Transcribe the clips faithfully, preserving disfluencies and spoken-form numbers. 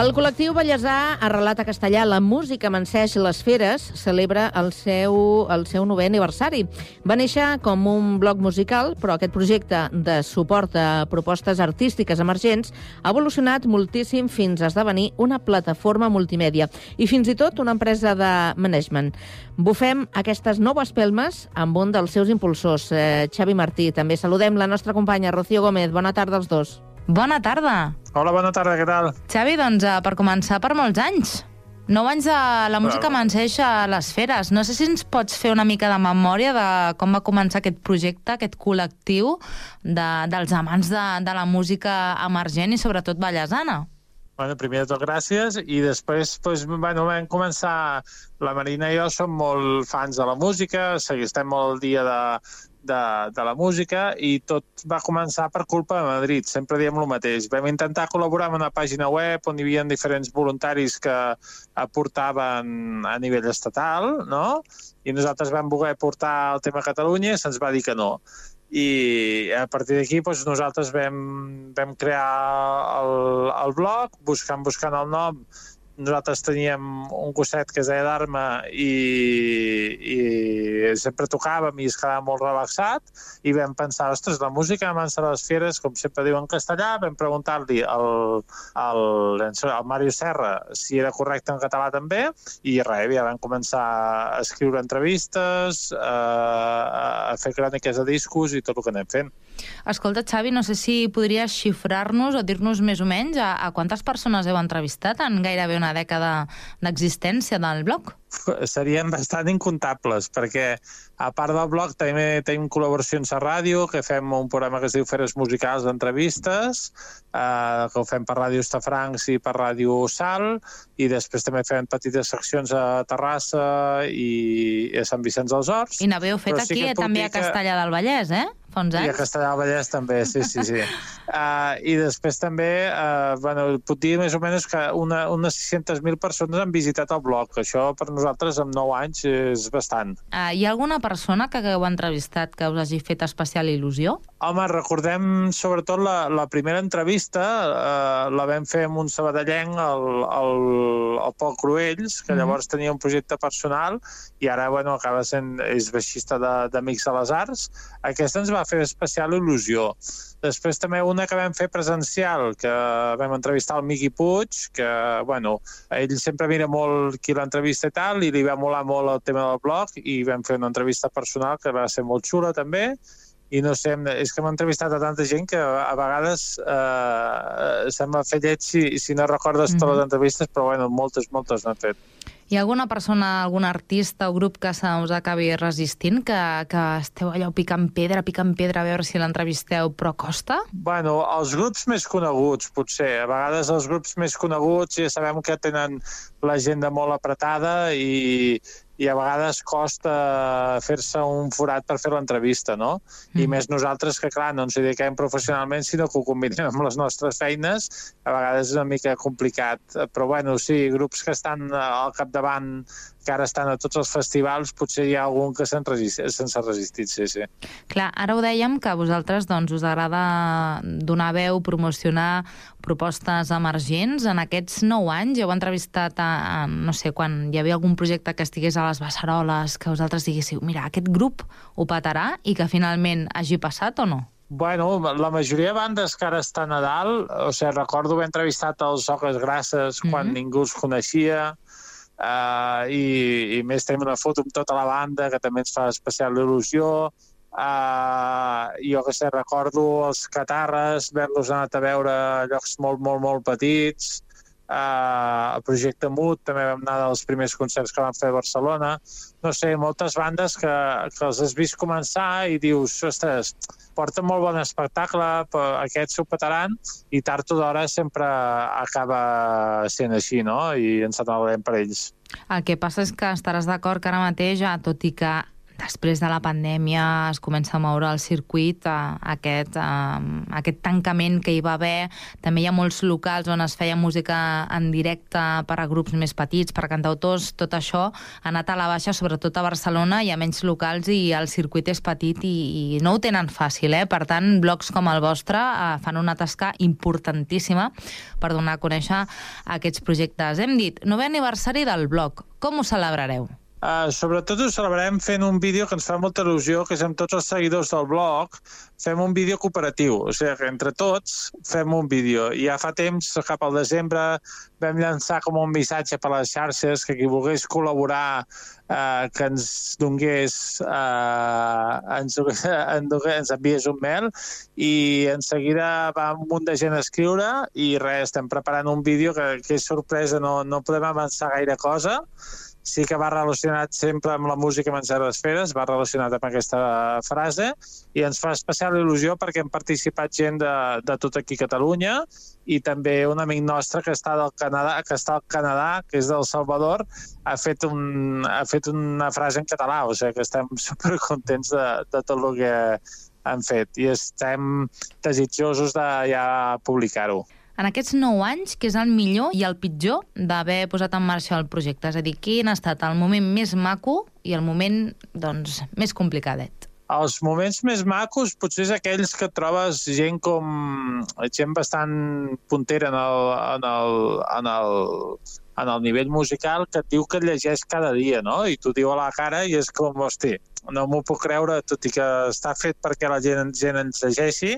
El col·lectiu ballesà Arrelat a Castellà, la música Manseix les Feres, celebra el seu, el seu novè aniversari. Va néixer com un bloc musical, però aquest projecte de suport a propostes artístiques emergents ha evolucionat moltíssim fins a esdevenir una plataforma multimèdia i fins i tot una empresa de management. Bufem aquestes noves pelmes amb un dels seus impulsors, eh, Xavi Martí. També saludem la nostra companya Rocío Gómez. Bona tarda als dos. Bona tarda. Hola, bona tarda, què tal? Xavi, doncs, per començar, per molts anys. Nou anys de la música Bueno. Manseix a les Feres. No sé si ens pots fer una mica de memòria de com va començar aquest projecte, aquest col·lectiu de, dels amants de, de la música emergent i sobretot ballesana. Bueno, primer de tot, gràcies. I després, doncs, bueno, vam començar... La Marina i jo som molt fans de la música, estem molt al dia de, de, de la música i tot va començar per culpa de Madrid. Sempre diem el mateix. Vam intentar col·laborar amb una pàgina web on hi havia diferents voluntaris que aportaven a nivell estatal, no? I nosaltres vam voler portar el tema a Catalunya i se'ns va dir que no. I a partir d'aquí doncs, nosaltres vam, vam crear el, el blog, buscant, buscant el nom. Nosaltres teníem un gosset que es deia Dharma i, i sempre tocàvem i es quedava molt relaxat i vam pensar, ostres, la música abans de les Feres, com sempre diu en castellà, vam preguntar-li al, al, al Mario Serra si era correcte en català també i res, ja vam començar a escriure entrevistes, a, a fer cròniques de discos i tot el que anem fent. Escolta, Xavi, no sé si podries xifrar-nos o dir-nos més o menys a, a quantes persones heu entrevistat en gairebé una dècada d'existència del blog? Serien bastant incomptables, perquè a part del blog també tenim col·laboracions a ràdio, que fem un programa que es diu Feres Musicals d'entrevistes, eh, que ho fem per Ràdio Estafrancs i per Ràdio Sal, i després també fem petites seccions a Terrassa i a Sant Vicenç dels Horts. I n'haveu fet sí aquí també a Castellà del Vallès, eh? Fa uns anys. I a Castellà del Vallès també, sí, sí, sí. uh, I després també, uh, bueno, puc dir més o menys que una, unes sis-centes mil persones han visitat el blog. Això per nosaltres amb nou anys és bastant. Uh, hi ha alguna persona que hagueu entrevistat que us hagi fet especial il·lusió? Home, recordem sobretot la, la primera entrevista, uh, la vam fer amb un sabadellenc, el, el, el Pol Cruells, que llavors tenia un projecte personal i ara, bueno, acaba sent, és baixista d'Amics de, de les Arts. Aquesta ens va fer especial il·lusió. Després també una que vam fer presencial, que vam entrevistar el Miqui Puig, que, bueno, ell sempre mira molt qui l'entrevista i tal, i li va molar molt el tema del blog, i vam fer una entrevista personal que va ser molt xula també, i no sé, és que hem entrevistat a tanta gent que a vegades eh, se'm va fer lleig si, si no recordes mm-hmm. totes les entrevistes, però bueno, moltes, moltes n'han fet. Hi ha alguna persona, algun artista o grup que se us acabi resistint, que, que esteu allò picant pedra, picant pedra, a veure si l'entrevisteu, però costa? Bueno, els grups més coneguts, potser. A vegades els grups més coneguts ja sabem que tenen l'agenda molt apretada i, i a vegades costa fer-se un forat per fer l'entrevista, no? Mm. I més nosaltres que, clar, no ens dediquem professionalment, sinó que ho combinem amb les nostres feines, a vegades és una mica complicat. Però, bueno, sí, grups que estan al capdavant, que ara estan a tots els festivals, potser hi ha algun que se'n resistit, s'ha resistit, sí, sí. Clar, ara ho dèiem, que a vosaltres doncs, us agrada donar veu, promocionar propostes emergents. En aquests nou anys heu entrevistat a, a, no sé, quan hi havia algun projecte que estigués a les Beceroles, que vosaltres diguéssiu, mira, aquest grup ho petarà i que finalment hagi passat o no? Bueno, la majoria de bandes que ara estan a dalt, o sigui, recordo haver entrevistat els Oques Grasses quan mm-hmm. ningú els coneixia, Uh, i, i més tenim una foto amb tota la banda que també ens fa especial il·lusió. Uh, jo que sé, recordo els Catarres, haver-los anat a veure a llocs molt, molt, molt petits. Uh, el Projecte Mut també vam anar dels primers concerts que vam fer a Barcelona. No sé, moltes bandes que, que els has vist començar i dius, ostres, porten molt bon espectacle, però aquests s'ho petaran, i tard o d'hora sempre acaba sent així, no? I ens n'alegrem per ells. El que passa és que estaràs d'acord que ara mateix, tot i que després de la pandèmia es comença a moure el circuit, a aquest, a, aquest tancament que hi va haver. També hi ha molts locals on es feia música en directe per a grups més petits, per a cantautors. Tot això ha anat a la baixa, sobretot a Barcelona. Hi ha menys locals i el circuit és petit i, i no ho tenen fàcil, eh? Per tant, blogs com el vostre eh, fan una tasca importantíssima per donar a conèixer aquests projectes. Hem dit, novè aniversari del blog. Com ho celebrareu? Uh, sobretot ho celebrem fent un vídeo que ens fa molta il·lusió, que és amb tots els seguidors del blog, fem un vídeo cooperatiu, o sigui que entre tots fem un vídeo. I ja fa temps, cap al desembre, vam llançar com un missatge per les xarxes que qui volgués col·laborar uh, que ens donés, uh, ens, ens enviés un mail, i en seguida va un munt de gent a escriure i res, estem preparant un vídeo que, que és sorpresa, no, no podem avançar gaire cosa. Sí que va relacionat sempre amb la música Menjar esferes, va relacionat amb aquesta frase, i ens fa especial il·lusió perquè hem participat gent de, de tot aquí a Catalunya, i també un amic nostre que està del Canadà, que està al Canadà, que és del Salvador, ha fet, un, ha fet una frase en català, o sigui que estem supercontents de, de tot el que han fet i estem desitjosos de ja publicar-ho. En aquests nou anys, què és el millor i el pitjor d'haver posat en marxa el projecte? És a dir, quin ha estat el moment més maco i el moment, doncs, més complicadet? Els moments més macos potser és aquells que trobes gent com... gent bastant puntera en el, en el, en el, en el nivell musical, que et diu que et llegeix cada dia, no? I t'ho diu a la cara i és com, hosti, no m'ho puc creure, tot i que està fet perquè la gent, gent ens llegeixi,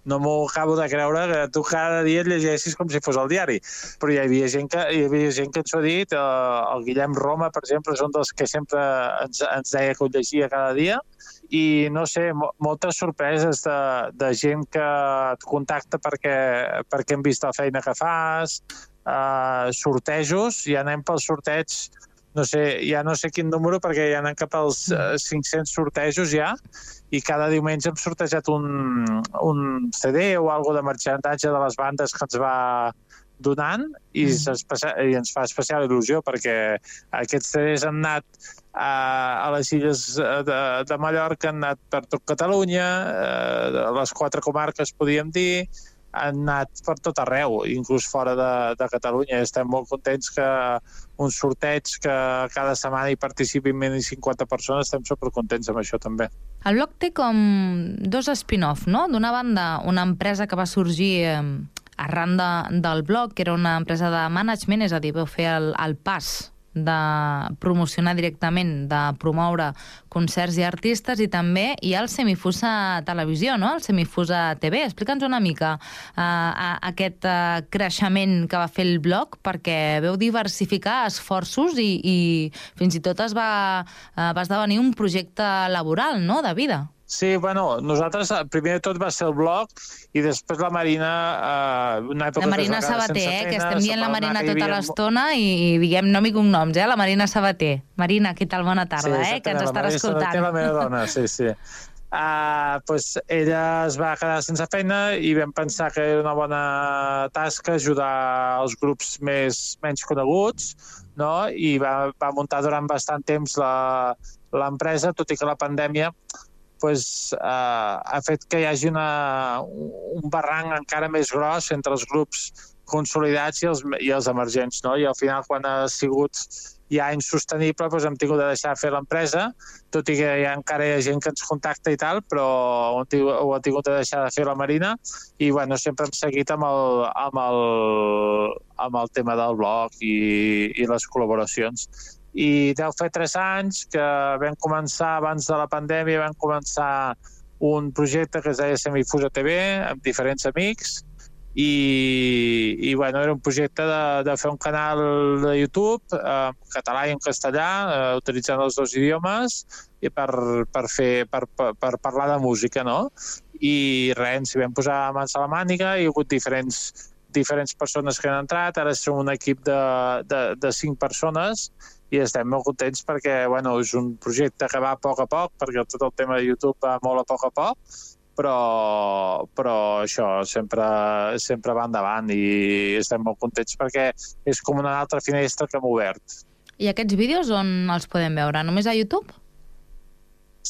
no m'ho acabo de creure que tu cada dia et llegeixis com si fos el diari. Però hi havia gent que, hi havia gent que ens ho ha dit, el Guillem Roma, per exemple, és un dels que sempre ens, ens deia que ho llegia cada dia, i no sé, moltes sorpreses de, de gent que et contacta perquè, perquè hem vist la feina que fas, uh, sortejos, ja anem pel sorteig, no sé, ja no sé quin número, perquè ja anem cap als uh, cinc-cents sortejos ja, i cada diumenge hem sortejat un, un C D o alguna de marxandatge de les bandes que ens va donant, i, mm. i ens fa especial il·lusió, perquè aquests C Ds han anat a, a les illes de, de Mallorca, han anat per tot Catalunya, a les quatre comarques, podíem dir, han anat per tot arreu, inclús fora de, de Catalunya. Estem molt contents que un sorteig que cada setmana hi participin menys de cinquanta persones, estem supercontents amb això també. El blog té com dos spin-off, no? D'una banda, una empresa que va sorgir eh, arran de, del blog, que era una empresa de management, és a dir, vau fer el, el pas de promocionar directament, de promoure concerts i artistes, i també hi ha el Semifusa Televisió, no? El Semifusa T V. Explica'ns una mica uh, aquest uh, creixement que va fer el blog, perquè veu diversificar esforços i, i fins i tot es va, uh, va esdevenir un projecte laboral, no?, de vida. Sí, bueno, nosaltres, primer de tot va ser el blog, i després la Marina... Eh, una època la Marina Sabater, eh, que estem dient la Marina tota havia... l'estona i, i diguem nom i cognoms, eh, la Marina Sabater. Marina, què tal? Bona tarda, sí, eh, que ens estarà escoltant. Sí, la meva dona, sí, sí. Uh, pues ella es va quedar sense feina i vam pensar que era una bona tasca ajudar els grups més, menys coneguts, no? I va, va muntar durant bastant temps l'empresa, tot i que la pandèmia pues, uh, ha fet que hi hagi una, un barranc encara més gros entre els grups consolidats i els, i els emergents, no? I al final, quan ha sigut ja insostenible, doncs hem tingut de deixar de fer l'empresa, tot i que ja encara hi ha gent que ens contacta i tal, però ho, ho ha tingut de deixar de fer la Marina, i bueno, sempre hem seguit amb el, amb el, amb el tema del blog i, i les col·laboracions. I deu fer tres anys que vam començar, abans de la pandèmia, vam començar un projecte que es deia Semifusa T V, amb diferents amics, i, i bueno, era un projecte de, de fer un canal de YouTube eh, en català i en castellà, eh, utilitzant els dos idiomes, i per, per, fer, per, per, per parlar de música, no? I res, ens hi vam posar mans a la màniga, hi ha hagut diferents, diferents persones que han entrat, ara som un equip de, de, de cinc persones, i estem molt contents perquè bueno, és un projecte que va a poc a poc, perquè tot el tema de YouTube va molt a poc a poc, però, però això sempre, sempre va endavant i estem molt contents perquè és com una altra finestra que hem obert. I aquests vídeos on els podem veure? Només a YouTube?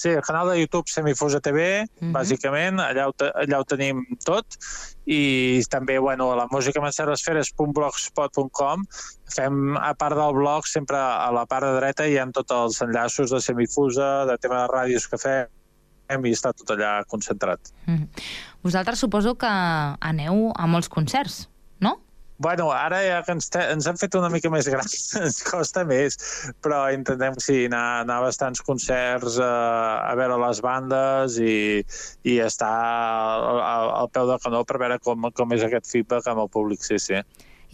Sí, el canal de YouTube Semifusa T V, uh-huh. bàsicament, allà ho, allà ho tenim tot, i també, bueno, a la música esferes punt blogspot punt com fem, a part del blog, sempre a la part de dreta hi ha tots els enllaços de Semifusa, de tema de ràdios que fem, i està tot allà concentrat. Uh-huh. Vosaltres suposo que aneu a molts concerts, no? Bueno, ara ja que ens, te, ens han fet una mica més grans, ens costa més, però intentem sí, anar, anar a bastants concerts, a, a veure les bandes i, i estar al, al peu del canó per veure com, com és aquest feedback amb el públic, sí, sí.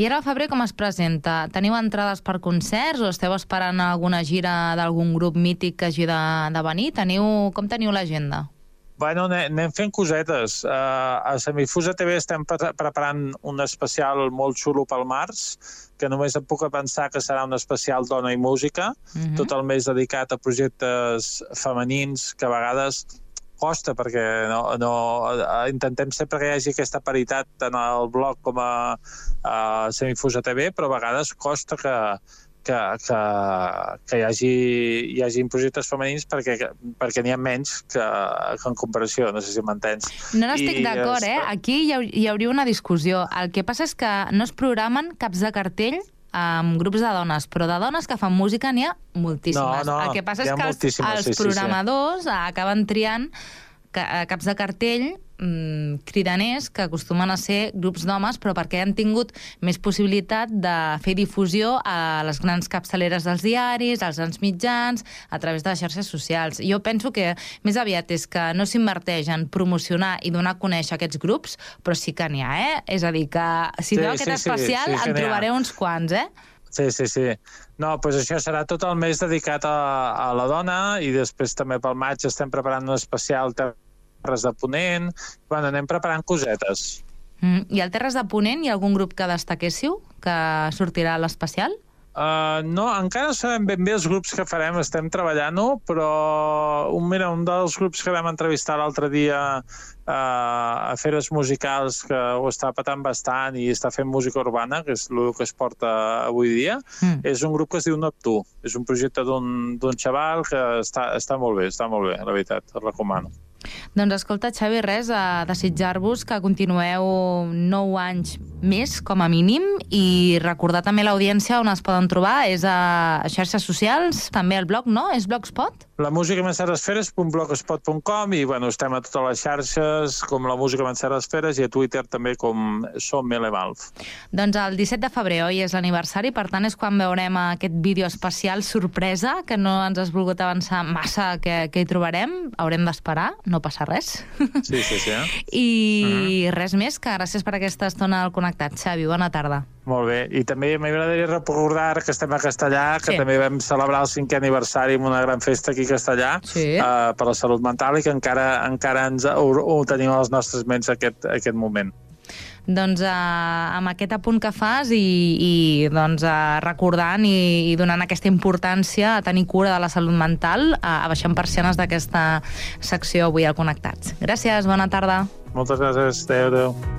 I ara al febrer com es presenta? Teniu entrades per concerts o esteu esperant alguna gira d'algun grup mític que hagi de, de venir? Teniu, com teniu l'agenda? Bueno, anem fent cosetes. Uh, a Semifusa T V estem pre preparant un especial molt xulo pel març, que només em puc pensar que serà un especial Dona i Música, uh-huh. tot el mes dedicat a projectes femenins, que a vegades costa, perquè no, no, intentem sempre que hi hagi aquesta paritat tant al blog com a, a Semifusa T V, però a vegades costa que que, que, que hi hagi, hi hagi projectes femenins perquè, perquè n'hi ha menys que, que en comparació, no sé si m'entens. No n'estic d'acord, eh? Aquí hi, ha, hi hauria una discussió. El que passa és que no es programen caps de cartell amb grups de dones, però de dones que fan música n'hi ha moltíssimes. No, no, el que passa és que els, els sí, programadors sí, sí. acaben triant caps de cartell mmm, cridaners que acostumen a ser grups d'homes, però perquè han tingut més possibilitat de fer difusió a les grans capçaleres dels diaris, als grans mitjans, a través de les xarxes socials. Jo penso que més aviat és que no s'inverteix en promocionar i donar a conèixer aquests grups, però sí que n'hi ha, eh? És a dir, que si sí, veu aquest sí, especial sí, sí, en trobareu uns quants, eh? Sí, sí, sí. No, doncs això serà tot el mes dedicat a, a la dona i després també pel maig estem preparant un especial Terres de Ponent. Bueno, anem preparant cosetes. Mm, I al Terres de Ponent hi ha algun grup que destaquéssiu que sortirà a l'especial? Uh, no, encara no sabem ben bé els grups que farem, estem treballant-ho, però un, mira, un dels grups que vam entrevistar l'altre dia uh, a Feres Musicals, que ho està patant bastant i està fent música urbana, que és el que es porta avui dia, mm. és un grup que es diu Neptú. És un projecte d'un xaval que està, està molt bé, està molt bé, la veritat, el recomano. Doncs escolta, Xavi, res, a desitjar-vos que continueu nou anys més, com a mínim, i recordar també l'audiència on es poden trobar, és a xarxes socials, també al blog, no? És Blogspot? La música esferes punt blogspot punt com i, bueno, estem a totes les xarxes, com la música esferes, i a Twitter també com Som Melemalf. Doncs el disset de febrer, oi, és l'aniversari, per tant és quan veurem aquest vídeo especial sorpresa, que no ens has volgut avançar massa que, que hi trobarem, haurem d'esperar, no passa res. Sí, sí, sí. Eh? I uh-huh. res més, que gràcies per aquesta estona al Connectat. Xavi, bona tarda. Molt bé, i també m'agradaria recordar que estem a Castellà, que sí. també vam celebrar el cinquè aniversari amb una gran festa aquí a Castellà, sí. uh, per la salut mental, i que encara, encara ens, ho, ho tenim a les nostres ments aquest, aquest moment. Doncs uh, amb aquest apunt que fas i, i doncs, uh, recordant i, i donant aquesta importància a tenir cura de la salut mental, uh, abaixant persianes d'aquesta secció avui al Connectats. Gràcies, bona tarda. Moltes gràcies, adéu, adéu.